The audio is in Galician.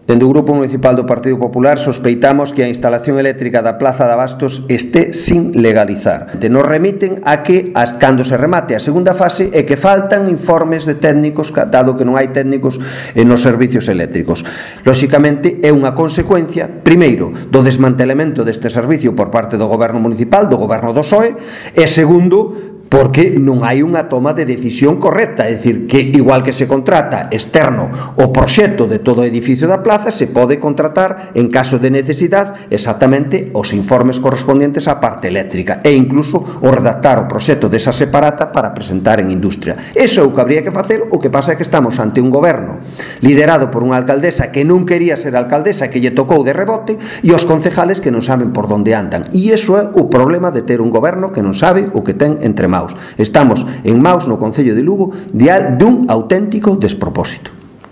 Dende o Grupo Municipal do Partido Popular sospeitamos que a instalación eléctrica da Plaza de Abastos este sin legalizar. Nos remiten a que, cando se remate a segunda fase, é que faltan informes de técnicos, dado que non hai técnicos nos servicios eléctricos. Lóxicamente, é unha consecuencia, primeiro, do desmantelamento deste servicio por parte do Goberno Municipal, do Goberno do PSOE, e segundo, porque non hai unha toma de decisión correcta, é dicir, que igual que se contrata externo o proxecto de todo o edificio da plaza, se pode contratar, en caso de necesidade, exactamente os informes correspondientes á parte eléctrica e incluso o redactar o proxecto desa separata para presentar en industria. Eso é o que habría que facer, o que pasa é que estamos ante un goberno liderado por unha alcaldesa que non quería ser alcaldesa, que lle tocou de rebote, e os concejales que non saben por onde andan. E iso é o problema de ter un goberno que non sabe o que ten entre maus. Estamos en maus no Concello de Lugo dun auténtico despropósito.